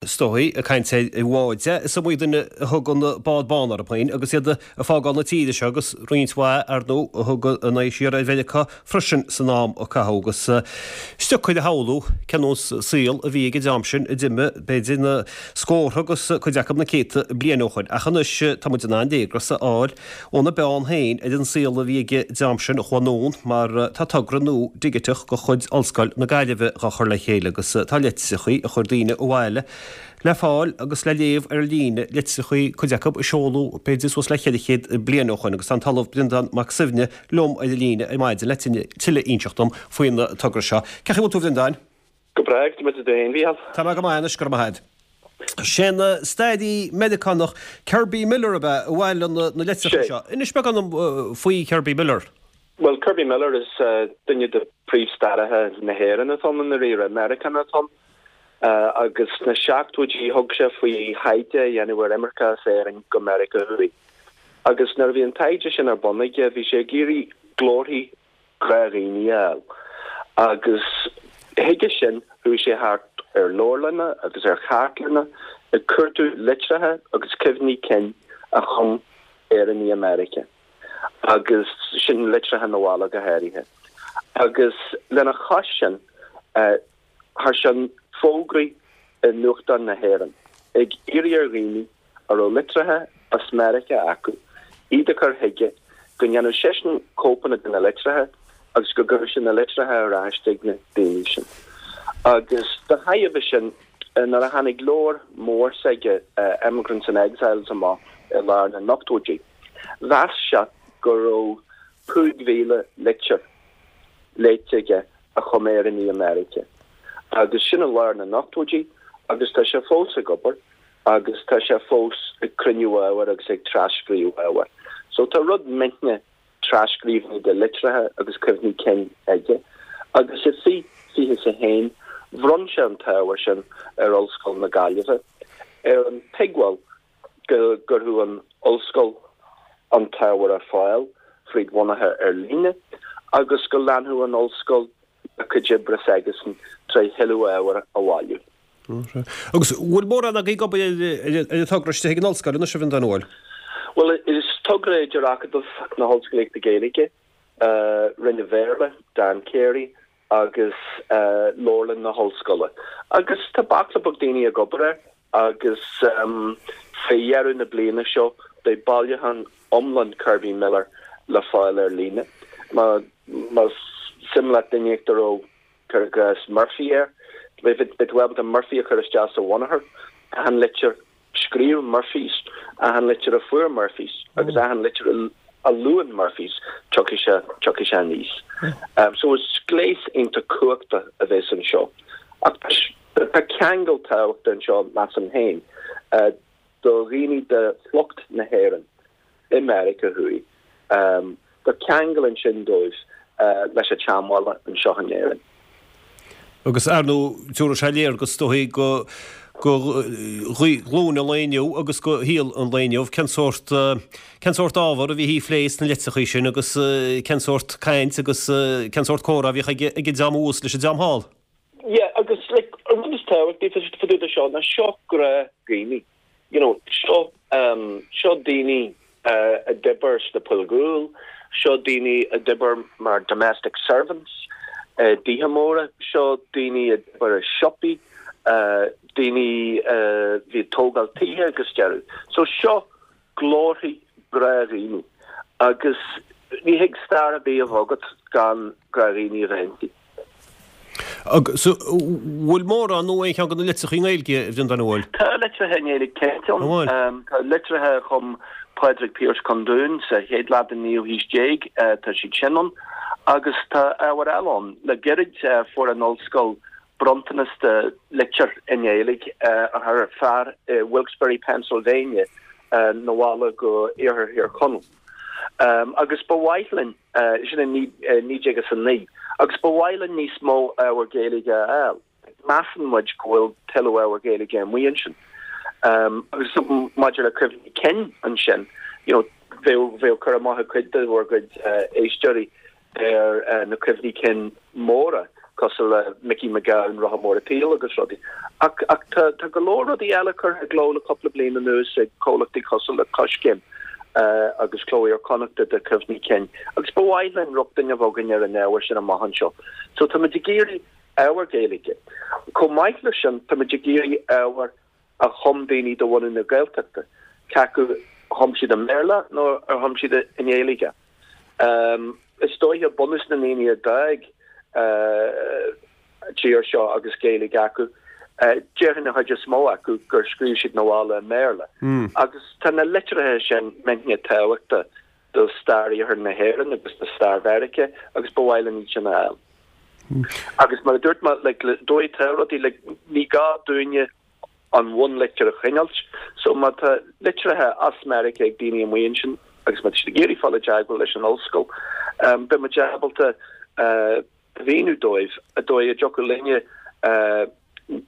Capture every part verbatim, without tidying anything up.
Is dóigh, ag caint ar bháid, is iomaí duine a thug an bád bán orthu féin agus iad ag fágáil na tíre seo agus roinnt mhaith, ar ndóigh, a thug a n-aghaidh siar ar Mheiriceá freisin san am a caitheadh agus is deacair a shamhlú cén nós saoil a bhí ag an dream sin a d'imigh, b'fhéidir, na scórtha agus cuid acu na céadta bliain ó shoin. Ach anois tá muid in ann léargas a fháil óna bpeann féin ar an saol a bhí ag an dream sin a chuaigh anonn mar tá togra nua digiteach de chuid Ollscoil na Gaillimhe dhá chur le chéile agus tá litreachaí a chuir daoine abhaile le fáil agus le léamh ar líne, litreachaí, cuid acu a seoladh b'fhéidir suas le ceithre chéad bliain ó shoin agus tá an tOllamh Breandán Mac Suibhne liom ar an líne ar maidin le tuilleadh a inseacht dom faoin togra seo. Cén chaoi a bhfuil tú a Bhreandáin? Go breá, go maith tú féin, Mhícheál? Tá mé go maith anois, go raibh maith agat. Sé an staraí Meiriceánach Kerby Miller ab ea a bhailigh na litreacha seo. Inis beagán dom faoi Kerby Miller. Bhuel, Kerby Miller is duine de phríomhstaraithe na hÉireann atá ann i ndáiríre, Meiriceánach atá ann. Agus sna seachtóidí thug sé faoi thaighde a dhéanamh ar imirce as Éirinn go Meiriceá Thuaidh. Agus nuair a bhí an taighde sin ar bun aige bhí sé ag iarraidh glórthaí gnáthdhaoine a fháil. Agus chuige sin chuaigh sé thart ar leabharlanna agus ar chartlanna ag cuartú litreacha agus cuimhní cinn a chum Éireannaigh i Meiriceá. Agus sin litreacha na bhaile go háirithe. Agus lena chois sin, Chuir sé fógraí i nuachtáin na hÉireann ag iarraidh ar dhaoine a raibh litreacha as Meiriceá acu iad a chur chuige, go ndéanfadh seisean cóipeanna de na litreacha agus go gcuirfeadh sé na litreacha ar ais chuig na daoine sin. Agus de thairbhe sin, nuair a tháinig leabhar mór s'aige, Emigrants and Exiles amach i lár na n-ochtóidí, mheas sé go raibh cúig mhíle litir léite aige a chum Éireannaigh i Meiriceá agus sin i lár na n-ochtóidí agus tá sé fós ag obair agus tá sé fós ag cruinniú ábhair agus ag tras-scríobh ábhair. So tá rud millteanach tras-scríbhinní de litreacha agus cuimhní cinn aige agus i fiche fiche is a haon bhronn sé an t-ábhar sin ar Ollscoil na Gaillimhe ar an tuigbheáil go gcuirfeadh an Ollscoil an t-ábhar ar fáil fríd bhunachar ar líne agus go leanfadh an Ollscoil a cuid oibre s'aigesan tré thuilleadh ábhair a bhailiú. Agus bhfuil mórán agaibh ag obair ar an togra istigh ag an Ollscoil anois, a Bhreandáin, an bhfuil? Bhuel, is togra idir Acadamh na hOllscolaíochta Gaeilge, Roinn an Bhéarla, Dan Carey, agus Leabharlann na hOllscoile. Agus tá baicle beag daoine ag obair air agus fé dheireadh na bliana seo beidh bailiúchán iomlán Kerby Miller le fáil ar líne. Más suim leat duine éicint a raibh, cuir i gcás, Murphy air, beidh tú ábalta Murphy a chur isteach sa bhunachar, achan litir a scríobh Murphys, achan litir a fuair Murphys agus achan litir a luann Murphys, tiocfaidh sé, tiocfaidh sé aníos. So is gléas iontach cumhachtach a bheas anseo. Ach tá ceangal tábhachtach anseo, measaim féin, do dhaoine de shliocht na hÉireann i Meiriceá Thuaidh. Tá ceangal ansin dóibh leis an tseanbhaile anseo in Éirinn. Agus, ar ndóigh, tabharfaidh sé léargas, is dóigh, go ghlúin an lae inniu agus go shaol an lae inniu cén sórt, cén sórt ábhar a bhíthí a phlé sna litreachaí sin agus cén sórt caint agus cén sórt comhrá a bhíodh ag an dream thuas leis an dream thall. Yeah, agus like, an rud is tábhachtaí fá dtaobh de seo ná seo gnáthdhaoine. You know, seo, um, seo daoine a d'oibir sna poill ghuail, seo daoine a d'oibir mar domestic servants i dtithe móra, seo daoine a d'oibir i siopaí, daoine a bhí ag tógáil tithe agus deireadh. So seo glórthaí gnáthdhaoine agus ní thig stair ar bith a bheith agat gan gnáthdhaoine a bheith inti. Agus bhfuil mórán nó aon cheann de na litreacha i nGaeilge, a Bhreandáin, an bhfuil? Tá litreacha i nGaeilge cinnte ann. Tá litreacha a chum Pádraig Pearse Condún sa chéad leath den naoú haois déag, tá siad sin ann. Agus tá ábhar eile ann. Le gairid fuair an Ollscoil bronntanas de litir i nGaeilge a chuir fear i Wilkes-Barre, Pennsylvania 'na bhaile go Iarthar Thír Chonaill. Agus ba mhaith linn. sin i naoi déag is a naoi, agus ba mhaith linn níos mó ábhar Gaeilge a fháil. Measann muid go bhfuil tuilleadh ábhar Gaeilge amuigh ansin. Agus maidir le cuimhní cinn ansin, you know, bheadh, bheadh cur amach ag cuid de bhur gcuid éisteoirí ar na cuimhní cinn móra, cosúil le Mickey McGowan, Rotha Mór an tSaoil agus rudaí. Ach ach tá tá go leor rudaí eile curtha i gcló le cúpla bliain anuas ag comhlachtaí cosúil le Coiscéim uh, agus Cló Iar-Chonnachta de Cuimhní Cinn. Agus ba mhaith linn rochtain a bheith againn ar an ábhar sin amach anseo. So tá muid ag iarraidh ábhar Gaeilge. Chomh maith leis sin tá muid ag iarraidh ábhar a chum daoine de bhunadh na Gaeltachta. Cé acu chum siad i mBéarla nó ar chum siad i nGaeilge. Um, is dóiche bunús na ndaoine a d'fhág uh, tír seo agus Gaeilge acu. Uh, Déarfainn an chuid is mó acu gur scríobh siad na bhaile i mBéarla. Mm. Agus tá na litreacha sin millteanach tábhachtach do stair iarthar na hÉireann agus do stair Mheiriceá agus ba mhaith linn iad sin a fháil. Agus mar a dúirt mé like, dóigh tá rudaí like, ní gá dúinne an bhunlitir a choinneáil, so má tá litreacha as Meiriceá ag daoine amuigh ansin agus má tá siad ag iarraidh fáil i dteagmháil leis an ollscoil, um, beidh muid ábalta uh, mhíniú dóibh an dóigh a dtiocfadh linne uh,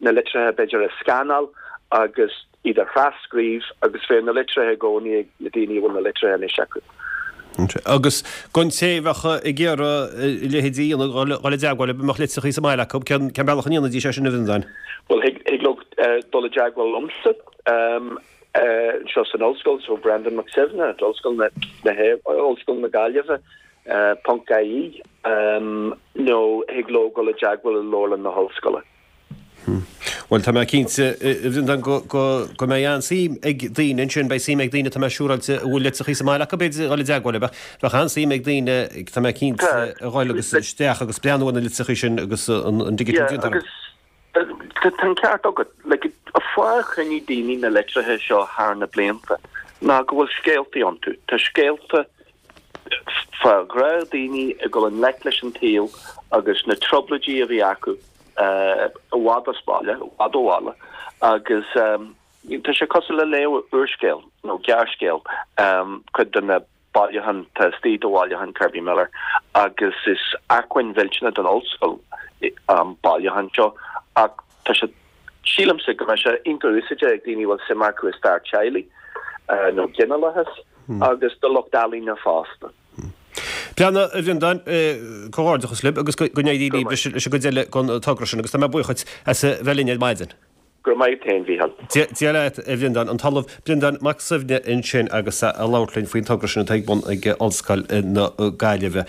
na litreacha b'fhéidir a scanáil agus iad a thrascríobh agus bheadh na litreacha i gcónaí ag na daoine a bhfuil na litreacha anois acu. Agus don té a bheadh ag iarraidh a leithéidí a dhéanamh dul i dteagmháil mbeadh litreacha sa mbaile acu cén cén bealach a ndéanfaidís é sin a Bhreandáin. Well thig thig leo uh, dul i dteagmháil liomsa um, uh, seo san ollscoil so Brendan Mac Suibhne Ollscoil na na hé Ollscoil na Gaillimhe uh, ponc IE um, nó thig leo dul i dteagmháil le leabharlann na hollscoile. Well tá mé cinnte Bhreandáin go go go mbeidh an-suim ag daoine ansin beidh suim ag daoine tá mé siúráilte a bhfuil litreacha sa mbaile acu b'fhéidir dul i dteagmháil bheadh bheadh an-suim ag daoine tá mé cinnte a dhul agus isteach agus breathnú ar na litreacha sin agus an an digital Yeah, agus tá an ceart agat like, an fáth a choinnigh daoine na litreacha seo thar na blianta ná go bhfuil scéaltaí iontu. Tá scéalta fá ghnáthdaoine ag dul i ngleic leis an tsaol agus na trioblóidí a bhí acu uh, i bhfad as baile, i bhfad ó bhaile agus um, tá sé cosúil le léamh úrscéal nó gearrscéal um, cuid de na bailiúcháin tá istigh de bhailiúchán Kirby Miller agus is acmhainn mhillteanach don ollscoil um, bailiúchán seo ach tá sé sílimse go mbeidh sé iontach úsáideach ag daoine bhfuil suim acu i stair teaghlaigh uh, nó ginealachas hmm. agus do lucht ealaíne fosta. Pleanna a Bhreandáin comhghairdeachas libh agus go n-éirí libh leis an gcuid eile den togra sin agus tá mé buíoch as a bheith linn ar maidin. Go maith féin Mhícheál. Dia leat a Bhreandáin an tOllamh Breandán Mac Suibhne ansin agus a labhairt linn faoin togra sin atá ag bun ag Ollscoil na Gaillimhe.